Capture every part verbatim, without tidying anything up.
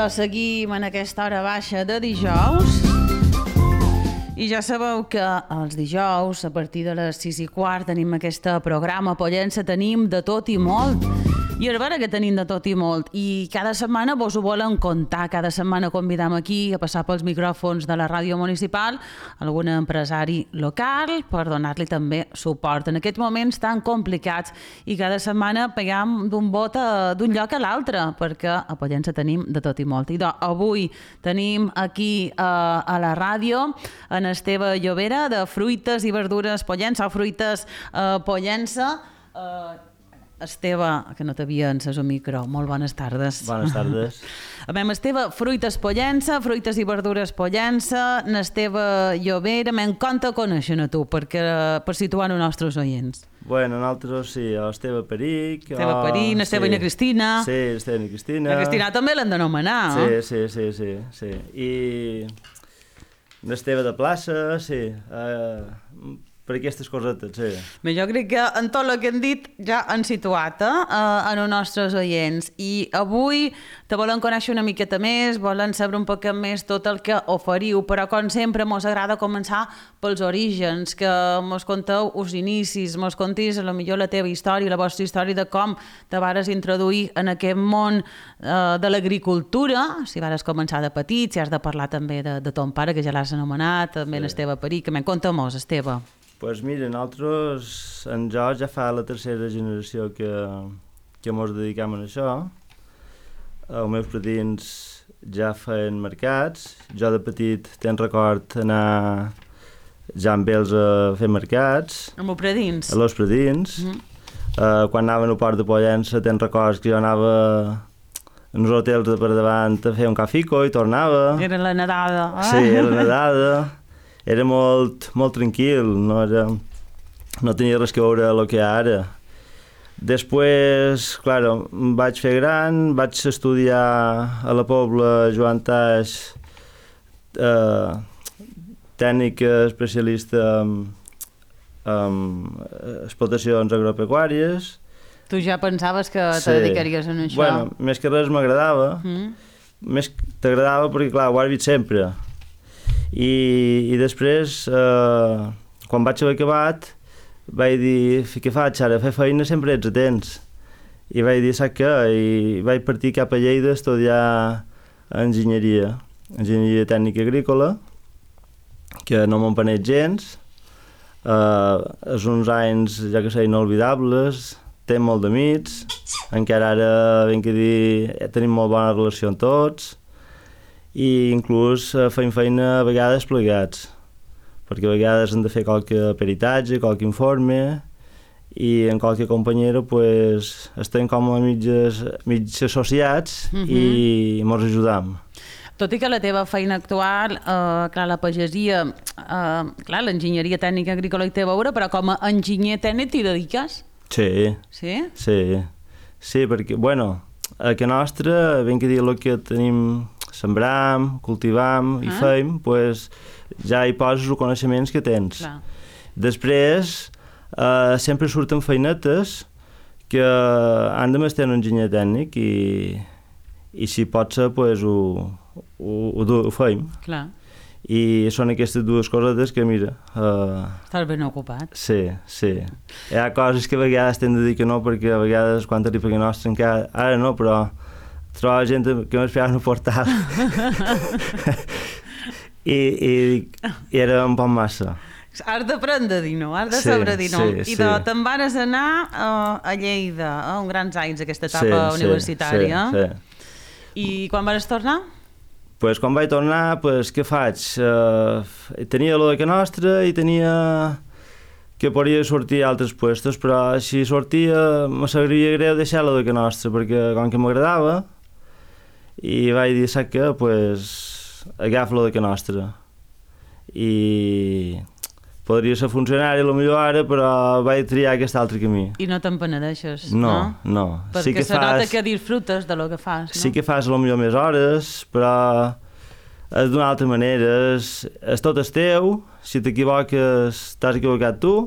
dia seguim en aquesta hora baixa de dijous i ja sabeu que els dijous a partir de les sis i quart tenim aquest programa Pollença, tenim de tot i molt. I és vera que tenim de tot i molt i cada setmana vos ho volem contar, cada setmana convidam aquí a passar pels micròfons de la ràdio municipal algun empresari local per donar-li també suport en aquests moments tan complicats i cada setmana pegam d'un bot d'un lloc a l'altre perquè a Pollença tenim de tot i molt. I doncs avui tenim aquí a, a la ràdio en Esteve Llobera de Fruites i Verdures Pollença o Fruites eh, Pollença. Eh, Esteve, que no t'havia encès el micro, molt bones tardes. Bones tardes. A veure, Esteve, Fruites Pollença, Fruites i Verdures Pollença, n'Esteve Llobera, me'n conta coneixen a tu, perquè, per situar els nostres oients. Bueno, nosaltres sí, l'Esteve Peric... Esteve Peric, n'Esteve i na Cristina. Sí, Esteve i na Cristina. La Cristina també l'han d'anomenar, sí, eh? Sí, sí, sí, sí. I n'Esteve de plaça, sí. Uh, per aquestes cosetes, sí. Bé, jo crec que en tot el que hem dit ja han situat eh, en els nostres oients i avui te volem conèixer una miqueta més, volem saber un poc més tot el que oferiu, però com sempre mos agrada començar pels orígens, que mos conteu els inicis, mos contis a lo millor la teva història, la vostra història de com te vares introduir en aquest món eh, de l'agricultura, si vares començar de petit, si has de parlar també de, de ton pare, que ja l'has anomenat, també sí. L'Esteve Peric, que me'n conta-mos, Esteve. Pues mira, nosaltres, en jo ja fa la tercera generació que, que mos dedicam a això. Els meus predins ja feien mercats. Jo de petit tenc record anar ja amb ells a fer mercats. Amb els predins? A los predins. Mm-hmm. uh, quan anaven al port de Pollença tenc records que jo anava en els hotels de per davant a fer un cafico i tornava. Era la nedada, eh? Sí, era la nedada. Era molt, molt tranquil, no, era, no tenia res que veure amb el que hi ha ara. Després, clar, em vaig fer gran, vaig estudiar a la Pobla Joan Taix, eh, tècnic especialista en, en explotacions agropecuàries. Tu ja pensaves que te sí. dedicaries a això? Bueno, més que res m'agradava, mm. més t'agradava perquè, clar, ho has vist sempre. I, i després, eh, quan vaig haver acabat, vaig dir, què faig ara? Fer feina sempre ets a temps. I vaig dir, saps què? I vaig partir cap a Lleida a estudiar enginyeria, enginyeria tècnica agrícola, que no m'empeneix gens. Eh, és uns anys, ja que sé, inolvidables, tenc molt d'amics, encara ara, ben que dir, tenim molt bona relació amb tots, i inclús uh, feim feina a vegades plegats, perquè a vegades hem de fer qualque peritatge, qualque informe, i en qualque companyera pues, estem com a mitges, mitges associats uh-huh. i mos ajudam. Tot i que la teva feina actual, eh, clar, la pagesia, eh, clar, l'enginyeria tècnica agrícola hi té a veure, però com a enginyer tècnic t'hi dediques? Sí. Sí? Sí, sí, perquè, bueno, a que nostra, ben que dir el que tenim, sembram, cultivam i ah. feim, pues, ja hi poses els coneixements que tens. Clar. Després, eh, sempre surten feinetes que han de mestre un enginyer tècnic i, i si pot ser, pues, ho, ho, ho, ho feim. Clar. I són aquestes dues cosetes que, mira... Uh, Estàs ben ocupat. Sí, sí. Hi ha coses que a vegades t'hem de dir que no, perquè a vegades quan t'arriba que nostre encara... Ara no, però trobava gent que m'esperava en el portal. I, i, I era un poc massa. Has d'aprendre a dir no, has de saber dir no. Sí, I sí. te'n vares anar uh, a Lleida, a uh, uns grans anys, aquesta etapa sí, universitària. Sí, sí. I quan vas tornar? Pues quan vaig tornar, pues, què faig? Uh, tenia lo de que nostra i tenia que podria sortir a altres puestos, però si sortia me sabria greu deixar lo de que nostra, perquè com que m'agradava, i vaig dir, saps què? Pues, agafa lo de que nostra. I podria ser funcionari a lo millor ara, però vaig triar aquest altre camí. I no te'n penedeixes, no? No, no. Perquè sí que se fas... nota que disfrutes de lo que fas, no? Sí que fas a lo millor més hores, però és d'una altra manera, és, és tot és teu, si t'equivoques t'has equivocat tu,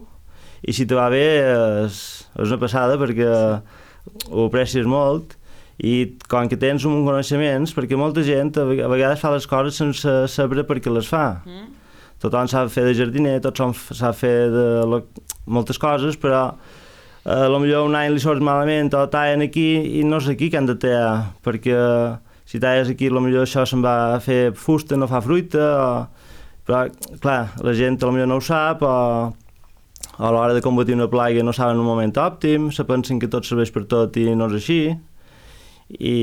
i si te va bé és, és una passada perquè ho aprecies molt, i com que tens un coneixements, perquè molta gent a vegades fa les coses sense saber per què les fa. Mm. Tothom sap fer de jardiner, tothom sap fer de lo, moltes coses, però eh, potser un any li surt malament o tallen aquí i no és aquí que han de tallar, perquè si talles aquí potser això se'n va a fer fusta, no fa fruita, o... però clar, la gent potser no ho sap, o a l'hora de combatir una plaga no saben un moment òptim, se pensen que tot serveix per tot i no és així, i,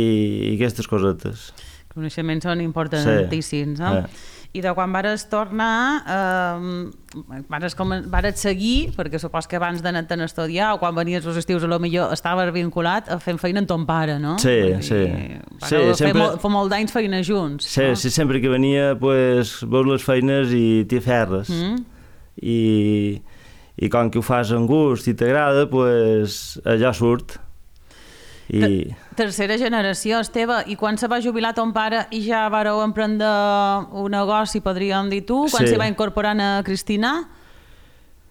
i aquestes cosetes. Coneixements són importantíssims, sí. Eh? Sí. I de quan vares tornar, eh, vares, com, vares seguir, perquè supos que abans d'anar-te'n a estudiar o quan venies als estius a lo millor estaves vinculat a fent feina amb ton pare, no? Sí, I, sí. Vareu sí fer sempre... molt, fa molt d'anys feina junts. Sí, no? Sí, sempre que venia, pues, veus les feines i t'hi ferres. Mm. I, I com que ho fas amb gust i t'agrada, pues, allò surt. I... Tercera generació, Esteve, i quan se va jubilar ton pare i ja vareu emprendre un negoci, podríem dir tu, quan sí. se va incorporar a Cristina?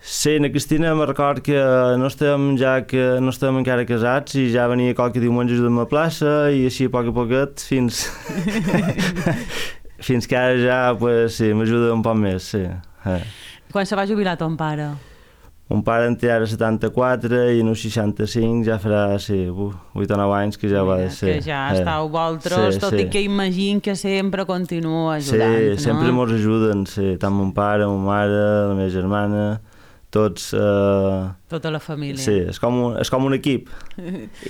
Sí, na Cristina me record que no estem, ja que no estem encara casats i ja venia qualque diumenge a la plaça i així a poc a poquet fins, fins que ara ja pues, sí, m'ajuda un poc més. Sí. Eh. Quan se va jubilar ton pare? Mon pare en té ara setanta-quatre i en un seixanta-cinc ja farà sí, vuit o nou anys que ja va ser. Que ja eh. estàu vosaltres, sí, tot sí. I que imagino que sempre continua ajudant. Sí, no? sempre mos ajuden, sí. Tant mon pare, mon mare, la meva germana, tots... Eh... Tota la família. Sí, és com un, és com un equip.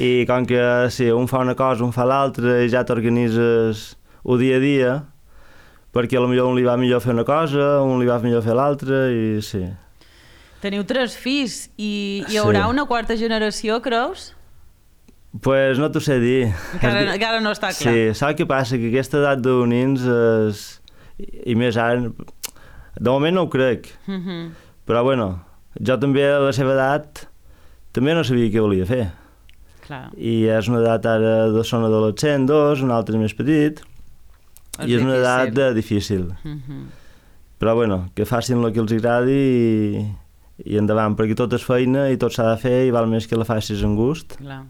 I com que sí, un fa una cosa, un fa l'altra i ja t'organitzes el dia a dia, perquè potser un li va millor fer una cosa, un li va millor fer l'altra i sí. Teniu tres fills i hi haurà sí. Una quarta generació, creus? Pues no t'ho sé dir. Encara, encara no està clar. Sí, saps què passa? Que aquesta edat d'unins és... i més ara... De moment no ho crec. Mm -hmm. Però bueno, jo també a la seva edat també no sabia què volia fer. Clar. I és una edat ara, dos són adolescents, dos, un altre més petit, és i és difícil. Una edat de difícil. Mm -hmm. Però bueno, que facin el que els agradi i... i endavant, perquè tot és feina i tot s'ha de fer i val més que la facis amb gust. Clar.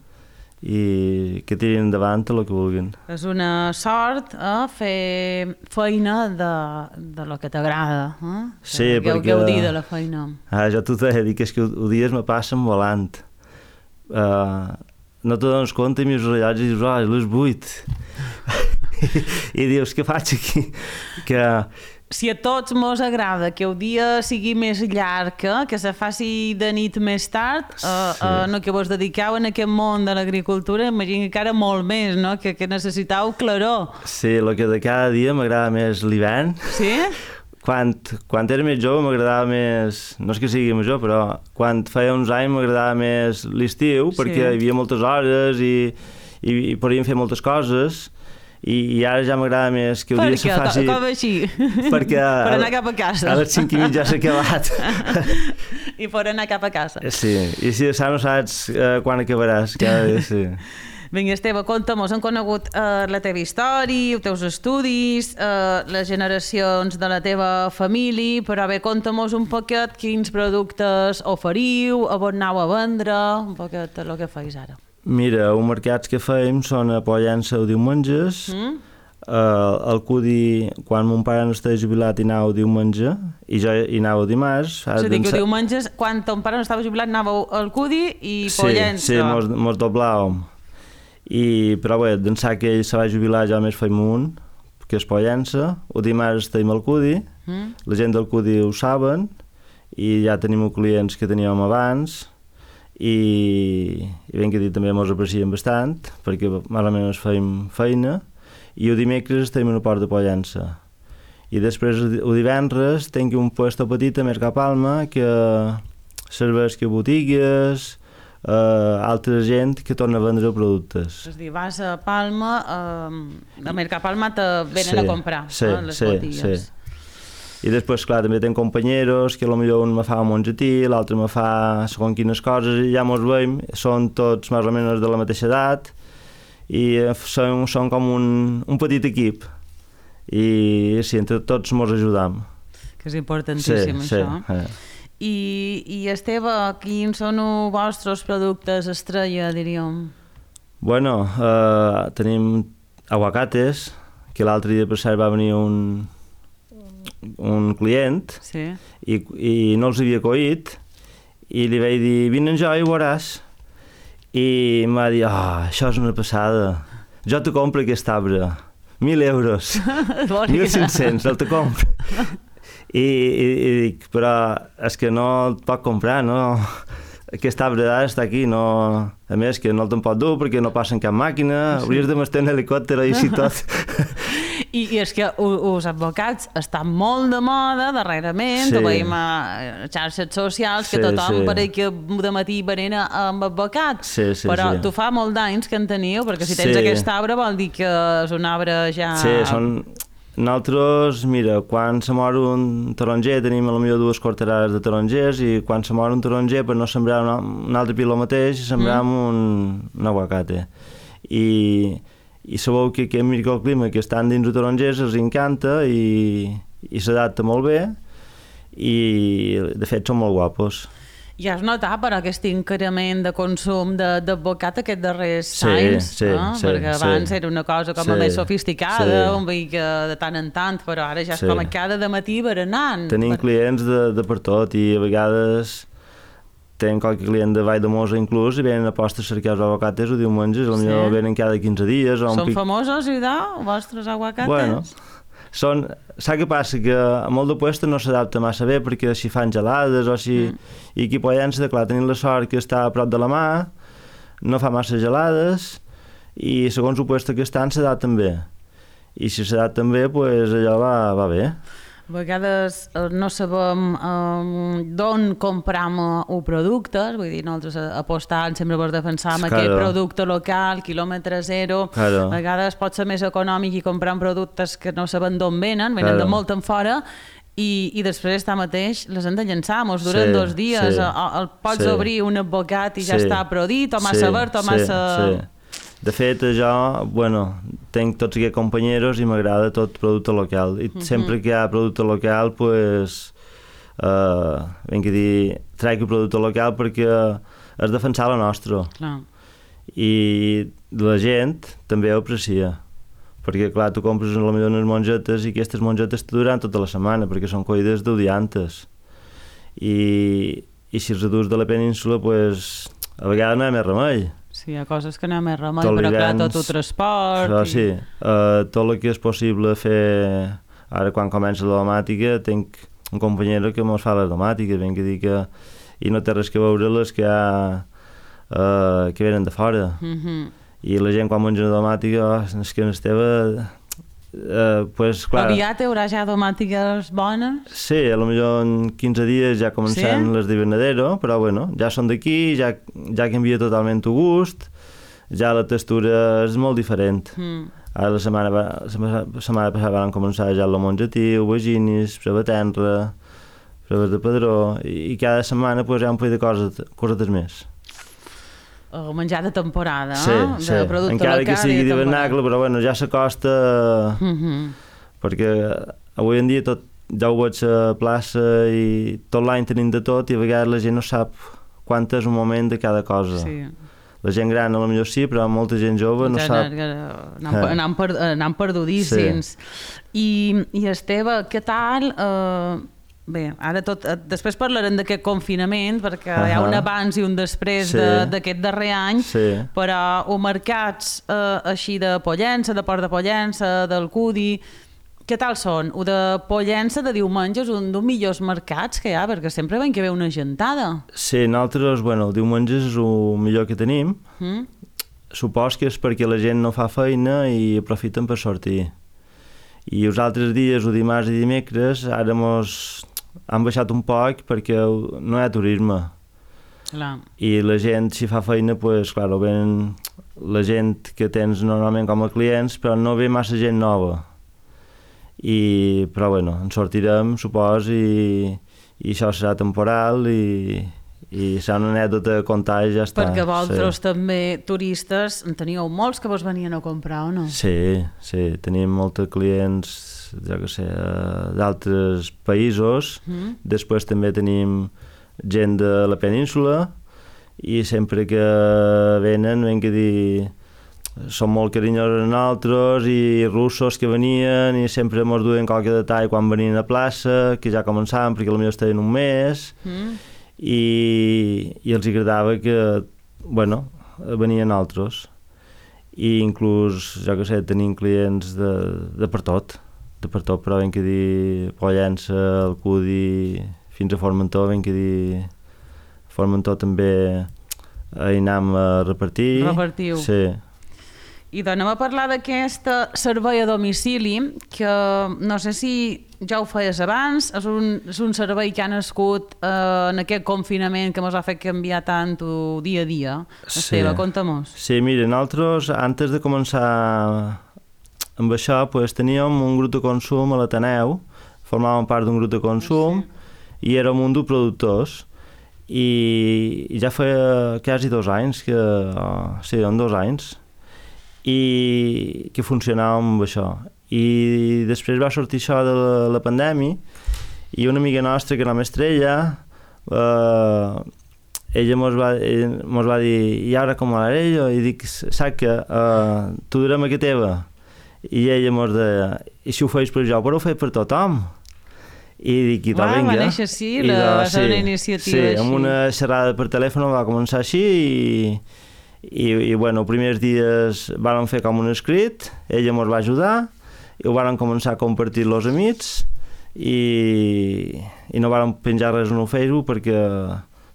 I que tirin endavant el que vulguin. És una sort eh, fer feina de, de lo que t'agrada. Eh? Sí, que, perquè... Gaudir de la feina. Ah, jo t'ho he dit, que és que els dies me passen volant. Uh, no te dones compte i mires el rellotge i dius, oh, és les vuit. I dius, què faig aquí? Que... Si a tots mos agrada que el dia sigui més llarg, que se faci de nit més tard, sí. uh, uh, no que vos dediqueu en aquest món de l'agricultura, imagino que encara molt més, no? que, que necessitau claror. Sí, el que de cada dia m'agrada més l'hivern. Sí? Quan, quan era més jove m'agradava més, no és que sigui major, però quan feia uns anys m'agradava més l'estiu, perquè sí. Hi havia moltes hores i, i, i podíem fer moltes coses. I, i ara ja m'agrada més que el per dia què? se faci... Com així? Perquè per anar cap a casa. A les cinc i mitja s'ha acabat. I per anar cap a casa. Sí, i si no saps uh, quan acabaràs. Cada dia, sí. Vinga, Esteve, conta'm-nos, hem conegut uh, la teva història, els teus estudis, uh, les generacions de la teva família, però bé, conta'm-nos un poquet quins productes oferiu, a on aneu a vendre, un poquet el que feis ara. Mira, els mercats que fèiem són a Pollença o diumenges, mm. uh, el Cudi, quan mon pare no estava jubilat, hi anava diumenge, i jo hi anava dimarts. És a dir, que diumenges, quan ton pare no estava jubilat, anàveu al Cudi i Pollença. Sí, sí, mos, mos doblàvem. I, però bé, d'ençà que ell se va jubilar, jo més feim un, que és Pollença, o dimarts tenim el Cudi, mm. la gent del Cudi ho saben, i ja tenim clients que teníem abans, i, i ben que dit també mos aprecien bastant perquè més o menys feim feina i el dimecres estem a la Port de Pollença i després el divendres tinc un puesto petit a Mercapalma que serveix que botigues uh, altra gent que torna a vendre productes. És a dir, vas a Palma uh, a Mercapalma te venen sí, a comprar sí, eh, les sí, botigues. Sí. I després, clar, també tenc companyeros que potser un me fa un mongetí, l'altre me fa segons quines coses i ja mos veiem, són tots més o menys de la mateixa edat i són, són com un, un petit equip i sí, entre tots mos ajudam. Que és importantíssim, sí, això. Sí, eh. I, I Esteve, quins són els vostres productes estrella, diríem? Bueno, uh, tenim aguacates, que l'altre dia per cert va venir un, un client sí. i, i no els havia coït i li vaig dir, vine jo i ho veuràs. I em va dir, oh, això és una passada, jo te compro aquest arbre, mil euros, mil cinc-cents, el te compro. I, i, i dic, però és que no el pot comprar, no? Aquest arbre d'ara està aquí, no... A més, que no el te'n pot dur perquè no passa en cap màquina, sí. Hauries de m'estar en helicòpter i així tot. I, I és que els advocats estan molt de moda darrerament, sí. Ho veiem a xarxes socials, que sí, tothom sí. Pareix que de matí berena amb advocats, sí, sí, però sí. Tu fa molt d'anys que en teniu, perquè si tens sí. Aquest arbre vol dir que és un arbre ja... Sí, són... Nosaltres, mira, quan se mor un taronger tenim potser dues quarterades de tarongers i quan se mor un taronger per no sembrar un, un altre piló mateix sembrem mm. un, un aguacate. I, i sabeu que aquest microclima que estan dins de tarongers els encanta i, i s'adapta molt bé i de fet són molt guapos. I has notat per aquest increment de consum d'advocat aquests darrers sí, anys, sí, no? Sí, perquè abans sí. Era una cosa com sí, a més sofisticada, sí. Un veí que de tant en tant, però ara ja és sí. Com a cada dematí berenant. Tenim per... clients de, de per tot i a vegades tenim qualque client de Valldemossa inclús i venen a posta a cercar els aguacates o diumenges, potser sí. Venen cada quinze dies. O Són pic... famosos, idò, vostres aguacates? Bueno, són... Saps què passa? Que a molt de puesto no s'adapta massa bé perquè si fan gelades o si... Mm. I aquí a Pollença, clar, tenim la sort que està a prop de la mà, no fa massa gelades i segons el puesto que estan s'adapten bé. I si s'adapten bé, pues allò va, va bé. A vegades no sabem um, d'on compram els productes, vull dir, nosaltres apostant sempre per defensar claro. Aquest producte local, quilòmetre zero, claro. A vegades pot ser més econòmic i comprar productes que no sabem d'on venen, venen claro. De molt en fora, i, i després està mateix les hem de llençar, mos duren sí, dos dies, sí, el, el pots sí. Obrir un advocat i sí, ja està prodit, o massa sí, verd, o massa... Sí, sí. De fet, jo, bueno, tenc tots aquests companyeros i m'agrada tot producte local. I uh-huh. sempre que hi ha producte local, pues, uh, ben que dir, trec el producte local perquè és defensar la nostra. Clar. I la gent també ho aprecia. Perquè, clar, tu compres potser unes mongetes i aquestes mongetes te duran tota la setmana perquè són collides d'odiantes. I, i si els adults de la península, pues, a vegades no hi ha més remei. Sí, hi ha coses que no hi ha més remei, però clar, tot el transport... Però i... sí, uh, tot el que és possible fer... Ara, quan comença la domàtica, tinc un companyero que mos fa les domàtiques, ben que dir que... I no té res que veure les que hi ha... Uh, que venen de fora. Mm-hmm. I la gent, quan menja una domàtica, oh, és que no estava... Uh, pues, clar... Aviat hi haurà ja domàtiques bones? Sí, potser en quinze dies ja començaran sí? Les d'hivernadero, però bueno, ja són d'aquí, ja, ja canvia totalment el gust, ja la textura és molt diferent. Mm. Ara la setmana, la setmana passada van començar ja el mongetiu, vaginis, prebatenra, preves de padró, i, i cada setmana pues, hi ha un poll de coses, cosetes més. El menjar de temporada, sí, eh? Sí, encara que sigui d'hivernacle, però bueno, ja s'acosta, mm-hmm. perquè avui en dia tot, ja ho veig a plaça i tot l'any tenim de tot i a vegades la gent no sap quant és un moment de cada cosa. Sí. La gent gran a lo millor sí, però molta gent jove no ja, sap. Anam per, perdudíssims. Sí. I, I Esteve, què tal... Uh... Bé, ara tot, després parlarem d'aquest confinament perquè uh-huh. Hi ha un abans i un després sí. D'aquest de, darrer any sí. Però els mercats eh, així de Pollença, de Port de Pollença, d'Alcúdia, què tal són? O de Pollença de diumenge és un dels millors mercats que hi ha perquè sempre veiem que ve una gentada. Sí, nosaltres, bueno, el diumenge és el millor que tenim. Mm. Supos que és perquè la gent no fa feina i aprofiten per sortir. I els altres dies, o dimarts i dimecres, ara mos... han baixat un poc perquè no hi ha turisme. Clar. I la gent, si fa feina, pues, clar, ven la gent que tens normalment com a clients, però no ve massa gent nova. I, però bueno, en sortirem, supos, i, i això serà temporal i, i serà una anècdota a contar i ja està. Perquè vosaltres sí. També, turistes, en teníeu molts que vos venien a comprar, o no? Sí, sí, tenim molts clients, jo què sé, d'altres països. Mm. Després també tenim gent de la península i sempre que venen, ben que dir, són molt carinyosos amb nosaltres, i russos que venien i sempre mos duien qualque detall quan venien a plaça, que ja començaven perquè potser estaven un mes, mm. i, i els agradava que, bueno, venien altres. I inclús, jo què sé, tenim clients de, de per tot, de per tot, però ben que dir Pollença, Alcudi, fins a Formentor, ben que dir Formentor també hi anem a repartir. Repartiu. Sí. I d'anem a parlar d'aquest servei a domicili, que no sé si ja ho feies abans, és un, és un servei que ha nascut eh, en aquest confinament que ens ha fet canviar tant dia a dia. Sí. Esteve, conta-mos. Sí, mira, nosaltres, antes de començar amb això, pues, teníem un grup de consum a l'Ateneu, formàvem part d'un grup de consum, sí. I érem un de productors, i, i ja feia quasi dos anys, que, oh, sí, en dos anys, i que funcionàvem amb això. I després va sortir això de la, la pandèmia, i una amiga nostra, que era Estrella, eh, ella mos va, ella mos va dir, i ara com ho haré jo? I dic, saps que eh, tu durem a que teva? I ella mos deia, i si ho feis per jo, però ho feis per tothom? I dic, i va, vinga. Va néixer així, la, de, va ser sí, una iniciativa sí, així. amb una xerrada per telèfon va començar així, i I, i bueno, els primers dies vam fer com un escrit, ella ens va ajudar, i ho vam començar a compartir els amics, i, i no vam penjar res en el Facebook perquè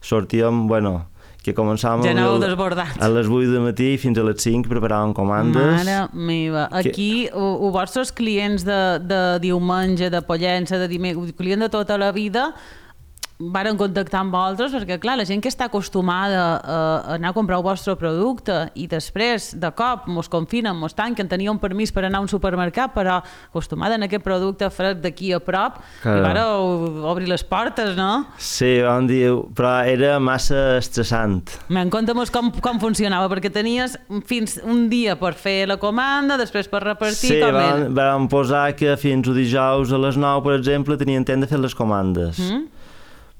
sortíem, bueno, que començàvem ja a, a les vuit del matí fins a les cinc preparàvem comandes. Mare meva, aquí que... els vostres clients de, de diumenge, de Pollença, de dimecres, clients de tota la vida, varen contactar amb vosaltres, perquè clar, la gent que està acostumada a anar a comprar el vostre producte i després, de cop, mos confinen, mos tanquen, tenia un permís per anar a un supermercat, però acostumada a aquest producte fresc d'aquí a prop, claro. I vareu obrir les portes, no? Sí, vam dir, però era massa estressant. Men, conta'm com, com funcionava, perquè tenies fins un dia per fer la comanda, després per repartir, sí, com vam, era? vam posar que fins a dijous a les nou, per exemple, tenien temps de fer les comandes. Mm?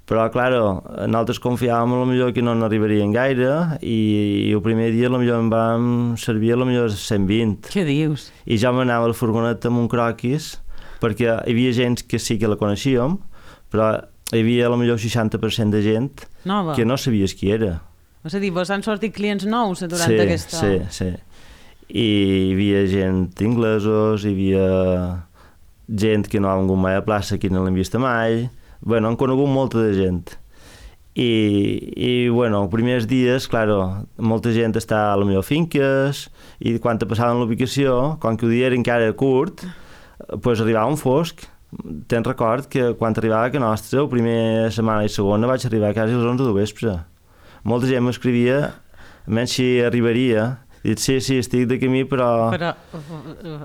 Però, claro, nosaltres confiàvem a lo millor que no n'arribarien gaire, i, i el primer dia a lo millor en vam servir a lo millor cent vint. Què dius? I ja m'anava a la furgoneta amb un croquis, perquè hi havia gent que sí que la coneixíem, però hi havia a lo millor seixanta per cent de gent Nova. Que no sabies qui era. És a dir, vos han sortit clients nous durant sí, aquesta... Sí, sí, i hi havia gent inglesos, hi havia gent que no ha vingut mai a plaça, que no l'hem vist mai. Bueno, han conegut molta de gent. I, i bueno, els primers dies, claro, molta gent està a la millor finques, i quan te passaven l'ubicació, com que el dia era encara curt, pues arribava un fosc. Te'n record que quan arribava a nostra, la primera setmana i segona, vaig arribar quasi a les onze de vespre. Molta gent m'escrivia, almenys si arribaria, i dic, sí, sí, estic de camí, però... Però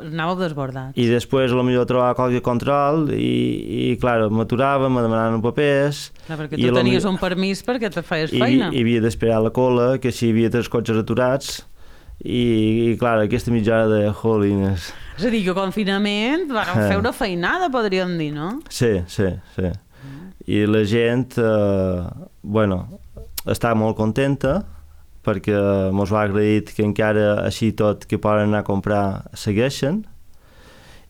anàveu desbordats. I després potser trobava qualque control i, i clar, m'aturava, me demanaven papers... Clar, perquè tu tenies un permís perquè te feies feina. I hi havia d'esperar la cola, que si hi havia tres cotxes aturats, i, i clar, aquesta mitja hora de jolines. És a dir, que confinament vareu fer una feinada, podríem dir, no? Sí, sí, sí. I la gent, eh, bueno, està molt contenta, perquè mos va agrair que encara així tot que poden anar a comprar segueixen,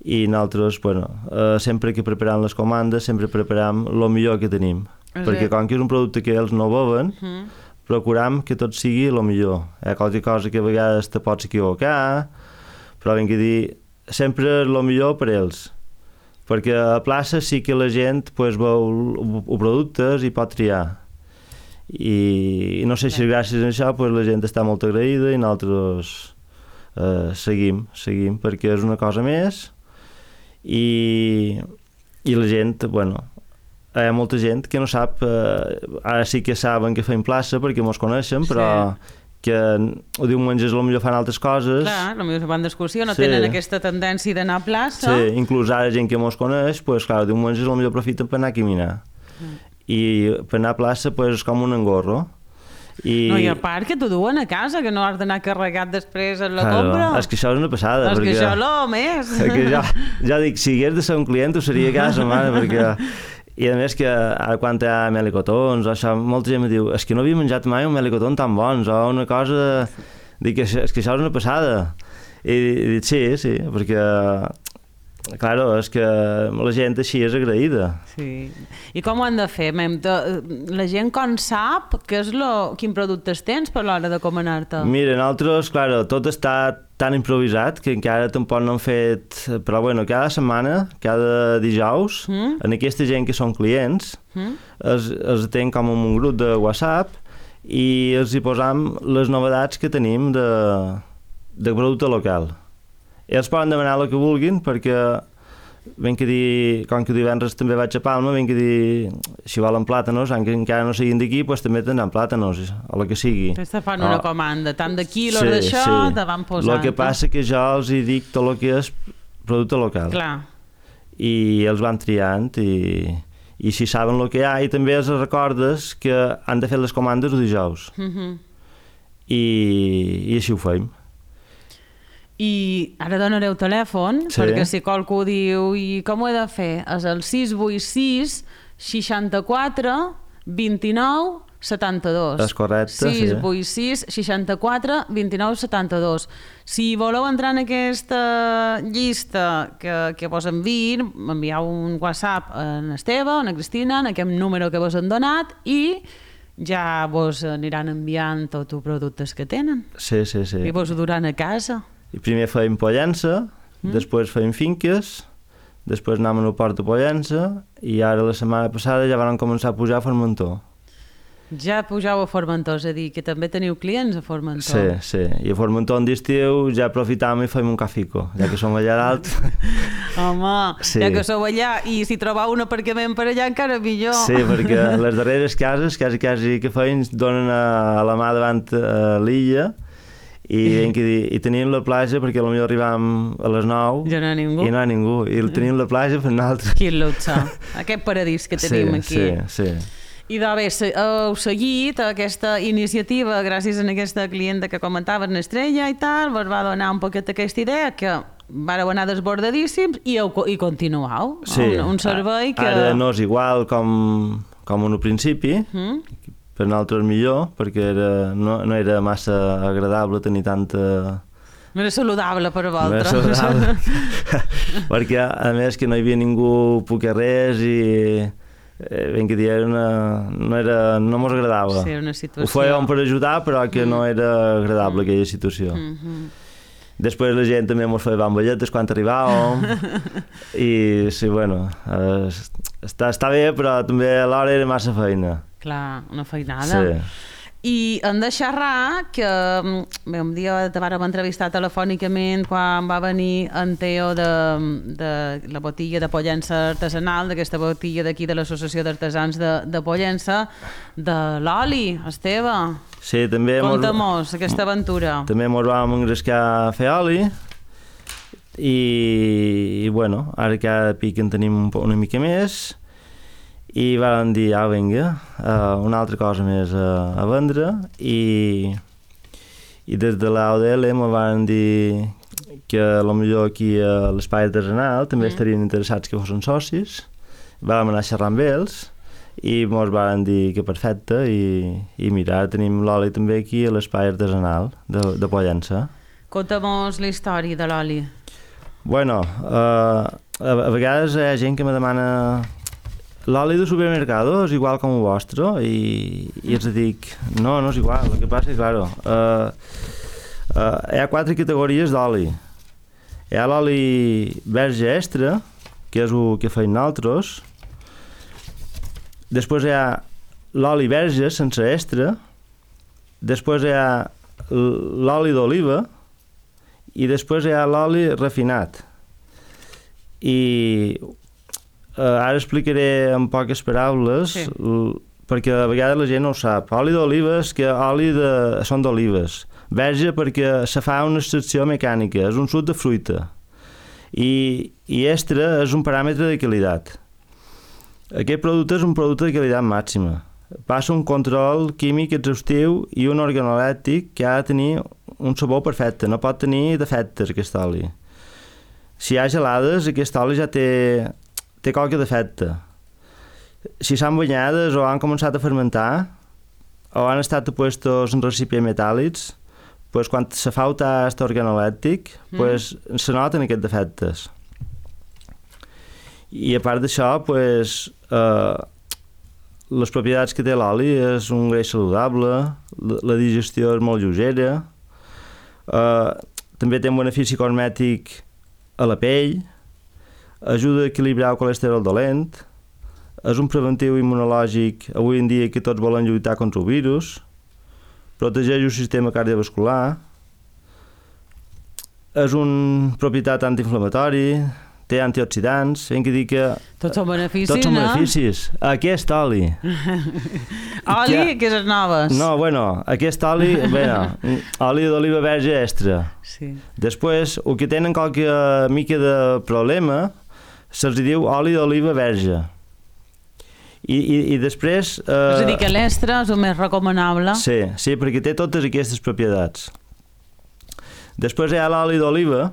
i nosaltres, bueno, eh, sempre que preparam les comandes, sempre preparam el millor que tenim, és perquè com que és un producte que ells no beuen, uh -huh. procuram que tot sigui el millor. Hi ha qualque cosa que a vegades te pots equivocar, però ben que dir, sempre el millor per ells, perquè a plaça sí que la gent pues, veu els productes i pot triar. I no sé si gràcies a això pues, la gent està molt agraïda i nosaltres eh, seguim, seguim, perquè és una cosa més, i, i la gent, bueno, hi ha molta gent que no sap, eh, ara sí que saben que fem plaça perquè mos coneixen, però sí. que el diumenge potser fan altres coses. Clar, potser van d'excursió, no sí. tenen aquesta tendència d'anar a plaça. Sí, inclús ara gent que mos coneix, pues, clar, el diumenge potser aprofiten per anar a caminar. Mm. I per anar a plaça pues, és com un engorro. I... No, i a part que t'ho duen a casa, que no has d'anar carregat després en la claro, compra. És que això és una passada. És perquè... que això és més. Que ja, ja dic, si hagués de ser un client ho seria a casa, mare, perquè... I a més que ara quan hi ha melicotons, això, molta gent em diu, és que no havia menjat mai un melicotón tan bons, o una cosa dic, és que això és una passada. I, i dic, sí, sí, perquè, claro, és que la gent així és agraïda. Sí. I com ho han de fer? Mem, de, la gent com sap què és lo, quin productes tens per l'hora de comanar-te? Mira, nosaltres, claro, tot està tan improvisat que encara tampoc no han fet... Però bueno, cada setmana, cada dijous, mm? en aquesta gent que són clients, mm? els, els tenen com un grup de WhatsApp i els hi posam les novetats que tenim de, de producte local. Ells poden demanar el que vulguin perquè ben que dir, com que divendres també vaig a Palma, ben que dir, si volen plàtanos, que encara no siguin d'aquí, doncs també tindran plàtanos, o el que sigui. Te fan una oh. comanda, tant de quilos sí, d'això, sí. te van posant. El que passa que jo els hi dic tot el que és producte local. Clar. I els van triant i... i si saben el que hi ha, i també els recordes que han de fer les comandes el dijous. Mm-hmm. I, I així ho fem. I ara donareu telèfon, sí. perquè si qualcú diu i com ho he de fer? És el sis vuit sis seixanta-quatre vint-i-nou setanta-dos. És correcte, sis vuit sis seixanta-quatre vint-i-nou setanta-dos. Si voleu entrar en aquesta llista que, que vos enviïn, m'envieu un WhatsApp a l'Esteve, a la Cristina, en aquest número que vos han donat, i ja vos aniran enviant tots els productes que tenen. Sí, sí, sí. I vos ho duran a casa. I primer feim Pollença, mm. després feim finques, després anàvem al port de Pollença, i ara la setmana passada ja van començar a pujar a Formentor. Ja pujau a Formentor, és a dir, que també teniu clients a Formentor. Sí, sí. I a Formentor en d'estiu ja aprofitam i fem un cafico, ja que som allà dalt. Home, sí. ja que sou allà, i si trobeu un aparcament per allà encara millor. Sí, perquè les darreres cases, quasi, quasi que feim, donen a la mà davant a l'illa, i, i tenim la platja perquè potser arribam a les nou ja no hi ha ningú. I no hi ha ningú, i tenim la platja per nosaltres. Quin luxe, aquest paradís que tenim sí, aquí. Sí, sí. I doncs bé, heu seguit aquesta iniciativa gràcies a aquesta clienta que comentaves, l'Estrella i tal, vos va donar un poquet aquesta idea que vareu anar desbordadíssims i, heu, i continueu. Sí, un, un servei que... Ara no és igual com, com en un principi, mm? per nosaltres millor, perquè era, no, no era massa agradable tenir tanta... No era saludable per a vosaltres. No era saludable, perquè a més que no hi havia ningú poquer res i... ben que dir, una, no, era, no mos agradava. Sí, una situació... Ho fèiem per ajudar, però que no era agradable mm. aquella situació. Mm -hmm. Després la gent també mos feia bambolletes quan arribàvem i sí, bueno, està, està bé, però també alhora era massa feina. Clar, una feinada. Sí. I hem de xerrar que bé, un dia te vàrem entrevistar telefònicament quan va venir en Teo de, de la botilla de Pollença artesanal, d'aquesta botilla d'aquí de l'Associació d'Artesans de, de Pollença, de l'oli, Esteve. Sí, també... Conta-mos aquesta aventura. També mos vam engrescar a fer oli i, i bueno, ara cada pic en tenim un, una mica més. I van dir, ah, vinga, uh, una altra cosa més uh, a vendre i, i des de l'A O D L me van dir que potser aquí a l'espai artesanal també mm. estarien interessats que fossin socis. Vam anar a xerrar amb ells i mos van dir que perfecte i, i mira, tenim l'oli també aquí a l'espai artesanal de, de Pollença. Conta-mos la història de l'oli. Bueno, uh, a, a vegades hi ha gent que me demana l'oli de supermercado és igual com el vostre i, i els dic, no, no és igual, el que passa és, claro, uh, uh, hi ha quatre categories d'oli. Hi ha l'oli verge extra, que és el que feim nosaltres, després hi ha l'oli verge sense extra, després hi ha l'oli d'oliva i després hi ha l'oli refinat. I Uh, ara explicaré en poques paraules, sí. perquè a vegades la gent no ho sap. Oli d'oliva és que oli de... són d'olives. Verge perquè se fa una extracció mecànica, és un suc de fruita. I, i extra és un paràmetre de qualitat. Aquest producte és un producte de qualitat màxima. Passa un control químic exhaustiu i un organolèptic que ha de tenir un sabor perfecte, no pot tenir defectes aquest oli. Si hi ha gelades, aquest oli ja té... té qualque defecte. Si s'han banyades o han començat a fermentar o han estat puestos en recipients metàl·lics, pues, quan se fa el tast organolèptic, mm. pues, se noten aquests defectes. I a part d'això, pues, eh, les propietats que té l'oli és un greix saludable, la, la digestió és molt lleugera, eh, també té un benefici cosmètic a la pell, ajuda a equilibrar el colesterol dolent, és un preventiu immunològic avui en dia que tots volen lluitar contra el virus, protegeix el sistema cardiovascular, és una propietat antiinflamatori, té antioxidants, hem de dir que... Tots són beneficis, tots són no? beneficis. Aquest oli... oli, que, que és noves. No, bueno, aquest oli, bueno, oli d'oliva verge extra. Sí. Després, el que tenen qualque mica de problema, se'ls diu oli d'oliva verge. I, i, i després... Eh, és a dir, que l'extra és el més recomanable. Sí, sí, perquè té totes aquestes propietats. Després hi ha l'oli d'oliva,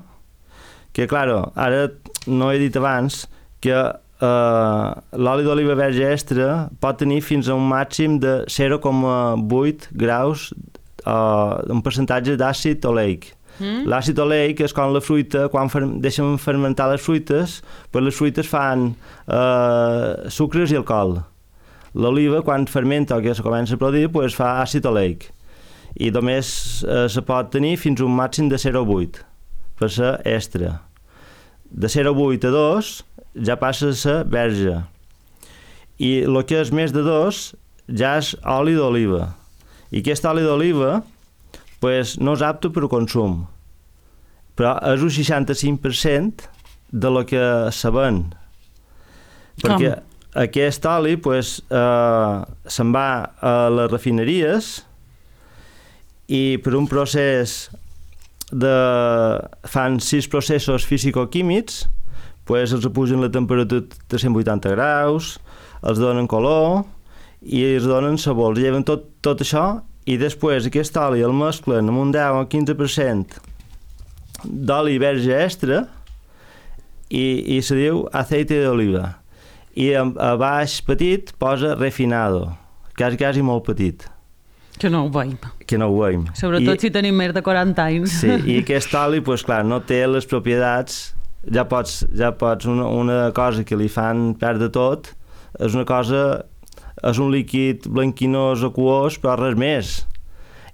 que, claro, ara no he dit abans que eh, l'oli d'oliva verge extra pot tenir fins a un màxim de zero coma vuit graus, eh, un percentatge d'àcid oleic. Mm. L'àcid oleic és com la fruita, quan fer, deixen fermentar les fruites, pues les fruites fan eh, sucres i alcohol. L'oliva, quan fermenta o que se comença a produir, pues fa àcid oleic. I només eh, se pot tenir fins a un màxim de zero coma vuit, per ser extra. De zero coma vuit a dos ja passa a ser verge. I el que és més de dos ja és oli d'oliva. I aquest oli d'oliva pues, no és apte per al consum, però és un seixanta-cinc per cent de lo que se ven. Perquè Com? Aquest oli pues, eh, se'n va a les refineries i per un procés de... fan sis processos fisicoquímics, pues els pugen la temperatura de cent vuitanta graus, els donen color i els donen sabor, els lleven tot, tot això i després aquest oli el mesclen amb un deu o quinze per cent d'oli verge extra i, i se diu aceite d'oliva. I a, a baix petit posa refinado, quasi, quasi molt petit. Que no ho veiem. Que no ho veiem. Sobretot I, si tenim més de quaranta anys. Sí, i aquest oli, pues, clar, no té les propietats, ja pots, ja pots una, una cosa que li fan perdre tot, és una cosa, és un líquid blanquinós aquós, però res més.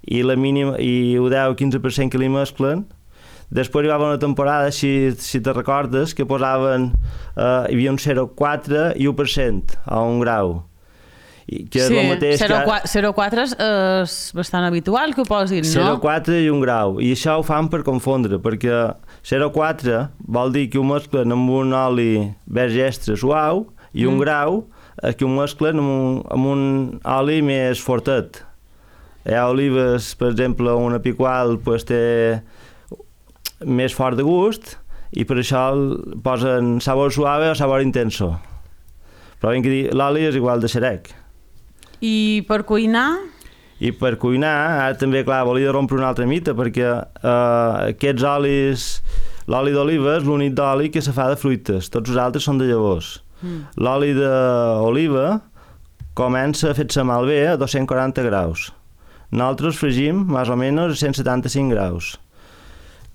I la mínima, i el deu o quinze per cent que li mesclen. Després hi va haver una temporada, si, si te recordes, que posaven, eh, hi havia un zero coma quatre i u per cent a un grau. I que sí, és el mateix zero coma quatre que... és bastant habitual que ho posin, no? zero coma quatre i un grau, i això ho fan per confondre, perquè zero coma quatre vol dir que ho mesclen amb un oli verge extra suau i un mm. grau eh, que ho mesclen amb un, amb un oli més fortet. Hi ha olives, per exemple, una picual pues, té més fort de gust i per això posen sabor suave o sabor intenso. Però ben que dir, l'oli és igual de xerec. I per cuinar? I per cuinar, ara també, clar, volia rompre una altra mita, perquè eh, aquests olis, l'oli d'oliva és l'únic d'oli que se fa de fruites, tots els altres són de llavors. Mm. L'oli d'oliva comença a fer-se malbé a dos-cents quaranta graus. Nosaltres fregim, més o menys, a cent setanta-cinc graus.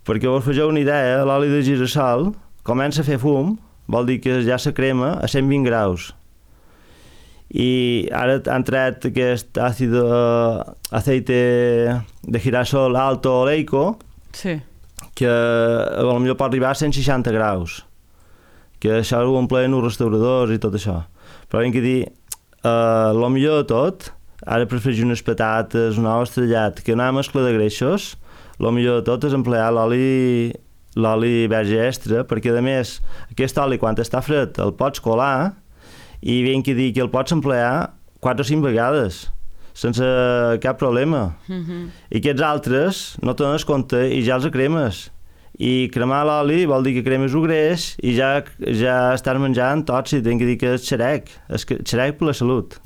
Perquè vos fegeu una idea, l'oli de girassol comença a fer fum, vol dir que ja se crema a cent vint graus. I ara han tret aquest àcid aceite de girasol alto oleico, sí, que potser pot arribar a cent seixanta graus, que això ho omplen els restauradors i tot això. Però hem de dir, eh, el millor de tot, ara per fregir unes patates, un ou estrellat, que una mescla de greixos, el millor de tot és emplear l'oli l'oli verge extra, perquè a més aquest oli quan està fred el pots colar i ben que dir que el pots emplear quatre o cinc vegades sense cap problema. Mm-hmm. I aquests altres no te n'has compte i ja els cremes. I cremar l'oli vol dir que cremes el greix i ja, ja estàs menjant tòxic, ben que dir que és xerec, és xerec per la salut.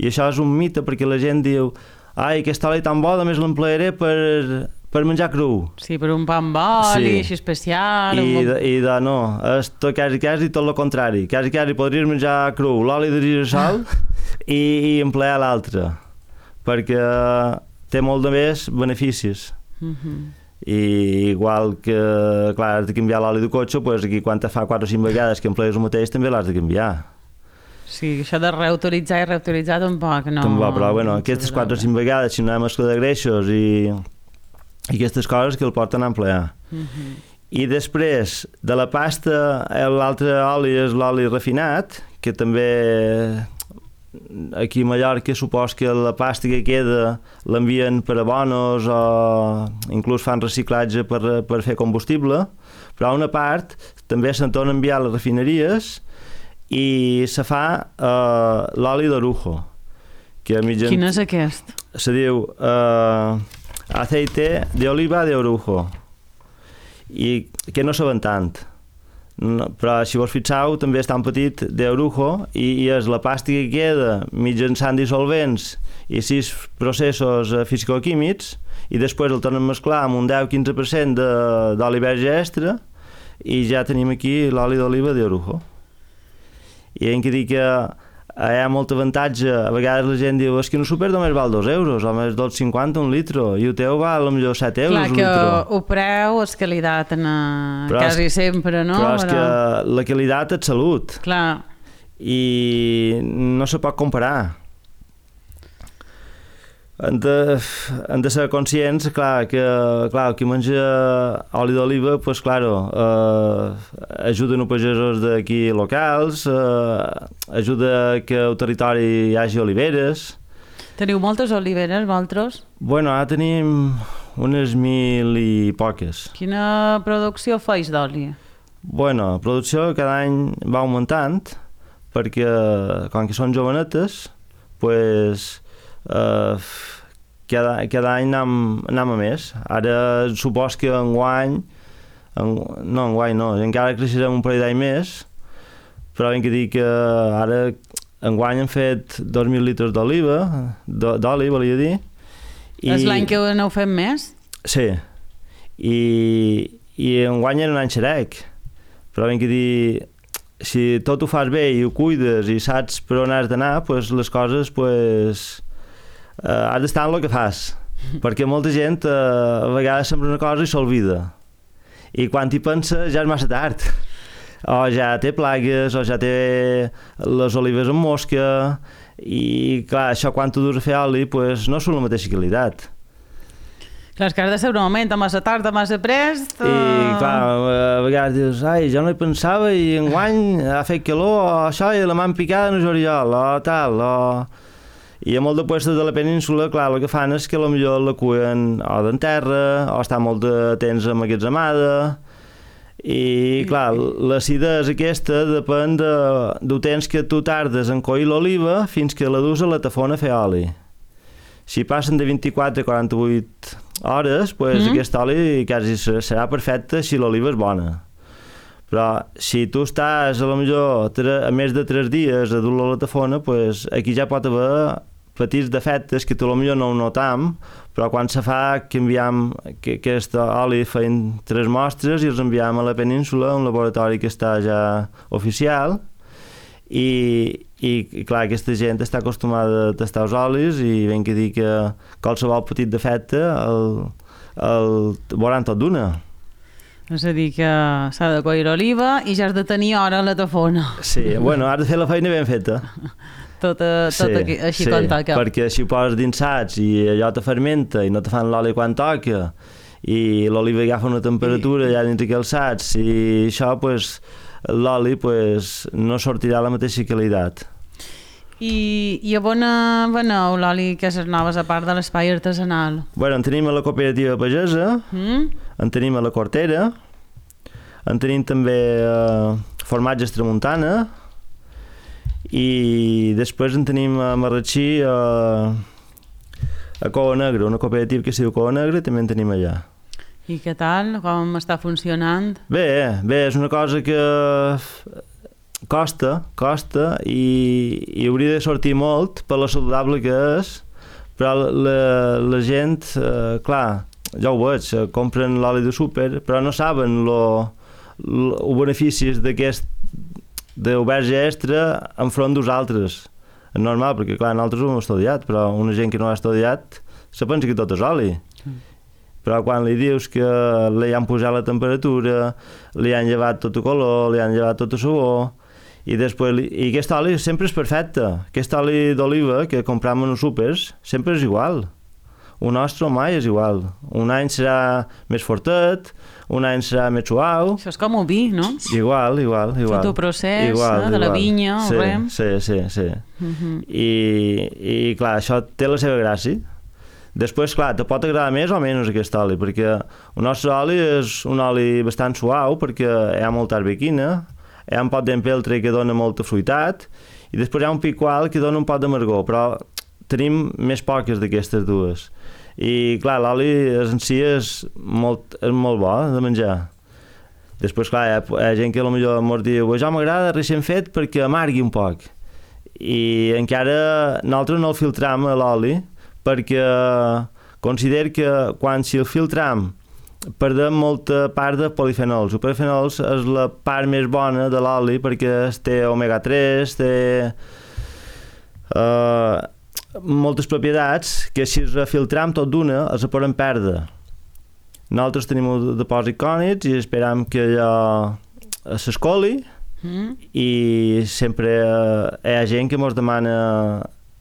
I això és un mite perquè la gent diu ai, aquest oli tan bo, a més l'emplearé per... per menjar cru. Sí, per un pa amb oli, sí, així especial... I, un... i de, no, és tot, quasi, quasi tot el contrari. Quasi, quasi podries menjar cru l'oli de girassol i, i emplear l'altre, perquè té molt de més beneficis. Uh-huh. I igual que, clar, has de canviar l'oli de cotxe, doncs aquí quan te fa quatre o cinc vegades que emplees el mateix també l'has de canviar. Sí, això de reutilitzar i reutilitzar tampoc no... Tampoc, però bueno, aquestes quatre o cinc vegades, si no hi ha mescla de greixos i, i aquestes coses que el porten a emplear. Uh-huh. I després de la pasta, l'altre oli és l'oli refinat, que també aquí a Mallorca supos que la pasta que queda l'envien per abonos o inclús fan reciclatge per, per fer combustible, però una part també se'n torna a enviar a les refineries i se fa uh, l'oli d'orujo. Que mitjan... Quin és aquest? Se diu uh, aceite de oliva de orujo i que no saben tant. No, però si vos fixeu també és tan petit d'orujo i, i és la pasta que queda mitjançant dissolvents i sis processos uh, fisicoquímics i després el tornem a mesclar amb un deu a quinze per cent d'oli verge extra i ja tenim aquí l'oli d'oliva d'orujo. I hem que dir que hi ha molt avantatge. A vegades la gent diu és que no super només val dos euros, o més dos cinquanta un litro, i el teu val potser set euros Clar, un litro. Clar, que el preu és qualitat en, però quasi és, sempre, no? Però és però... que la qualitat és salut. Clar. I no se pot comparar. Hem de, hem de ser conscients, clar, que clar, qui menja oli d'oliva, pues, claro, eh, ajuden els pagesos d'aquí locals, eh, ajuda que al territori hi hagi oliveres. Teniu moltes oliveres, vosaltres? Bueno, ara tenim unes mil i poques. Quina producció feis d'oli? Bueno, la producció cada any va augmentant, perquè com que són jovenetes, pues, Uh, cada, cada any anem, anem a més. Ara supos que enguany en, no, enguany no, encara creixerem un parell d'any més, però hem que dir que ara enguany hem fet dos mil litres d'oliva, d'oli volia dir. I... És l'any que n'heu fet més? Sí, i, i enguany era un any xerec, però hem que dir si tot ho fas bé i ho cuides i saps per on has d'anar, pues les coses pues, Uh, has d'estar en el que fas, perquè molta gent uh, a vegades sembra una cosa i s'olvida, i quan hi pensa ja és massa tard, o ja té plagues o ja té les olives amb mosca, i clar, això quan tu dus a fer oli pues, no són la mateixa qualitat. Clar, és que has de ser un moment, a massa tard, a massa prest... Uh... I clar, a vegades dius, ai, jo no hi pensava i enguany ha fet calor, o això i la m'han picada en el juliol, o tal, o... I a molt de puestos de la península, clar, el que fan és que potser la cuien o d'en terra, o està molt de temps emmagatzemada, i clar, l'acidesa aquesta depèn de, del temps que tu tardes en coir l'oliva fins que la dus a la tafona a fer oli. Si passen de vint-i-quatre a quaranta-vuit hores, pues, mm. aquest oli quasi serà perfecte si l'oliva és bona. Però si tu estàs a lo millor a més de tres dies a dur-lo a la tafona, pues, aquí ja pot haver petits defectes que tu a lo millor no ho notam, però quan se fa que enviam que aquest oli feien tres mostres i els enviam a la península, un laboratori que està ja oficial, i, i clar, aquesta gent està acostumada a tastar els olis i ben que dir que qualsevol petit defecte el, el veuran tot d'una. És a dir, que s'ha de coir oliva i ja has de tenir hora a la tafona. Sí, bueno, has de fer la feina ben feta. Tot, tot sí, aquí, així sí, com toca. Perquè si ho poses dins sacs i allò te fermenta i no te fan l'oli quan toca i l'oliva agafa una temperatura I... allà dins aquells sacs i això, pues, l'oli pues, no sortirà la mateixa qualitat. I, i a on veneu l'oli que és noves a part de l'espai artesanal? Bueno, en tenim a la cooperativa pagesa, mm? en tenim a la Cortera, en tenim també eh, formatges Tramuntana i després en tenim a Marratxí a, a Cova Negra, una cooperativa que es diu Cova Negra, també en tenim allà. I què tal? Com està funcionant? Bé, bé, és una cosa que costa, costa i, i hauria de sortir molt per la saludable que és, però la, la gent, eh, clar, ja ho veig, compren l'oli de súper, però no saben els beneficis d'aquest del verge extra enfront dels altres. És normal, perquè clar, nosaltres ho hem estudiat, però una gent que no ha estudiat se pensa que tot és oli. Mm. però quan li dius que li han posat la temperatura, li han llevat tot el color, li han llevat tot el sabor, i després, i aquest oli sempre és perfecte. Aquest oli d'oliva que compram en els súpers sempre és igual. Un nostre mai és igual. Un any serà més fortet, un any serà més suau. Això és com un vi, no? Igual, igual, igual. Tot el procés igual, eh, de la igual. vinya, sí, o res. Sí, sí, sí. Uh -huh. I, I, clar, això té la seva gràcia. Després, clar, te pot agradar més o menys aquest oli, perquè el nostre oli és un oli bastant suau, perquè hi ha molta arbequina, hi ha un pot d'empeltre que dona molta fruitat, i després hi ha un picual que dona un pot d'amargor, però tenim més poques d'aquestes dues. I, clar, l'oli en si és molt, és molt bo de menjar. Després, clar, hi ha, hi ha gent que potser ens diu això m'agrada recent fet perquè amargui un poc. I encara nosaltres no el filtram a l'oli perquè considero que quan si el filtram perdem molta part de polifenols. Els polifenols és la part més bona de l'oli perquè té omega tres, té uh, moltes propietats que si es filtram tot d'una els podem perdre. Nosaltres tenim un depòsit cònics i esperam que allò s'escoli mm. i sempre hi ha gent que ens demana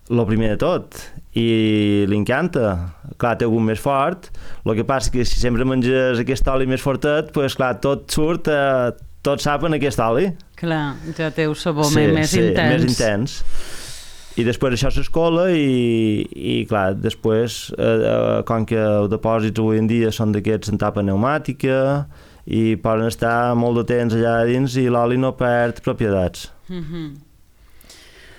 el primer de tot i li encanta. Clar, té algun més fort, el que passa que si sempre menges aquest oli més fortet, pues, clar, tot surt, eh, tot sap en aquest oli. Clar, ja té un sabor sí, més sí, intens. més intens. I després això s'escola i, i clar, després, eh, com que els depòsits avui en dia són d'aquests en tapa pneumàtica i poden estar molt de temps allà dins i l'oli no perd propietats. Mm-hmm.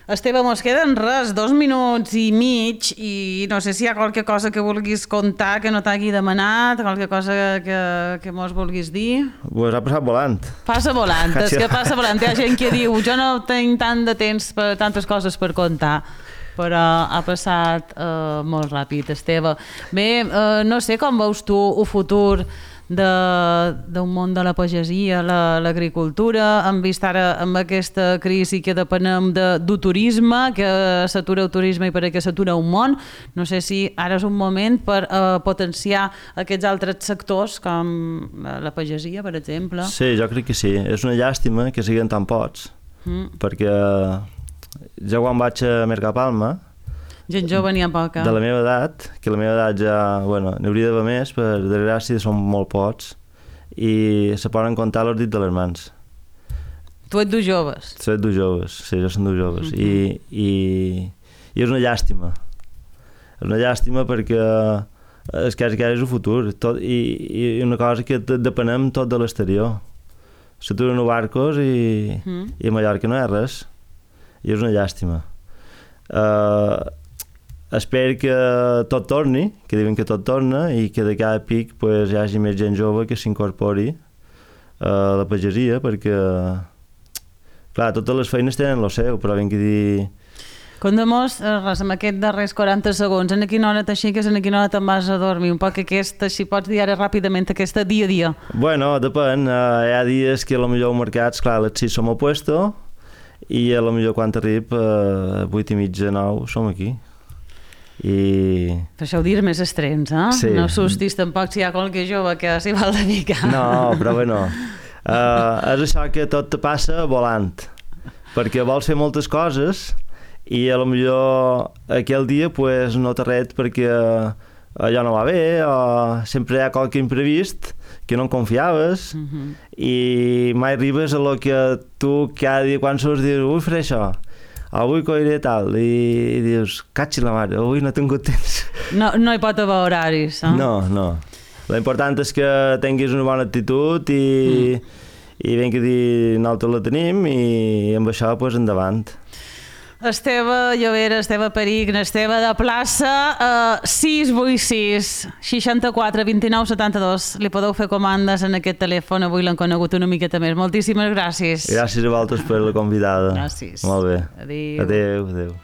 Esteve, mos queden res, dos minuts i mig, i no sé si hi ha qualque cosa que vulguis contar que no t'hagi demanat, qualque cosa que, que mos vulguis dir. Pues ha passat volant. Passa volant, és que passa volant. Hi ha gent que diu, jo no tinc tant de temps per tantes coses per contar, però ha passat eh, molt ràpid, Esteve. Bé, eh, no sé com veus tu el futur d'un món de la pagesia, l'agricultura, hem vist ara amb aquesta crisi que depenem del turisme, que s'atura el turisme i per què s'atura un món. No sé si ara és un moment per uh, potenciar aquests altres sectors com la pagesia, per exemple. Sí, jo crec que sí. És una llàstima que siguin tan pocs, mm. perquè jo quan vaig a Mercapalma, gent jove n'hi ha poca. De la meva edat, que la meva edat ja, bueno, n'hauria d'haver més, per desgràcia són molt pocs, i se poden comptar els dits de les mans. Tu ets dos joves? Tu ets dos joves, sí, jo som dos joves. Mm-hmm. I, i, I és una llàstima. És una llàstima perquè és que és el futur, tot, i, i una cosa que depenem tot de l'exterior. S'aturen els barcos i, mm. i a Mallorca no hi ha res. I és una llàstima. Uh, espero que tot torni, que diuen que tot torna i que de cada pic pues, hi hagi més gent jove que s'incorpori a la pagesia, perquè clar, totes les feines tenen el seu, però ben que dir... Condemós, res, amb aquests darrers quaranta segons, en quina hora t'aixeques, en quina hora te'n vas a dormir? Un poc aquesta, si pots dir ara ràpidament, aquesta dia a dia. Bueno, depèn, uh, hi ha dies que potser els mercats, clar, a les sis som al puesto i a potser quan arrib a uh, vuit i mitja, nou, som aquí. I... Per això ho dius més estrens, eh? Sí. No assustis tampoc si hi ha qualque jove que s'hi vol dedicar. No, però bueno, uh, és això que tot te passa volant, perquè vols fer moltes coses i a lo millor aquell dia pues, no t'arret perquè allò no va bé o sempre hi ha qualque imprevist que no en confiaves uh-huh. i mai arribes a lo que tu cada dia quan surts dius, vull fer això, avui coiré tal, i, i dius, catxi la mare, avui no he tingut temps. No, no hi pot haver horaris, eh? No, no. L'important és que tinguis una bona actitud i, mm. i ben que dir, nosaltres la tenim i amb això, pues, endavant. Esteve Llovera, Esteve Perich, Esteve de plaça, eh, sis vuit sis, seixanta-quatre, vint-i-nou, setanta-dos. Li podeu fer comandes en aquest telèfon, avui l'han conegut una miqueta més. Moltíssimes gràcies. Gràcies a vosaltres per la convidada. Gràcies. Molt bé. Adéu. Adéu, adéu.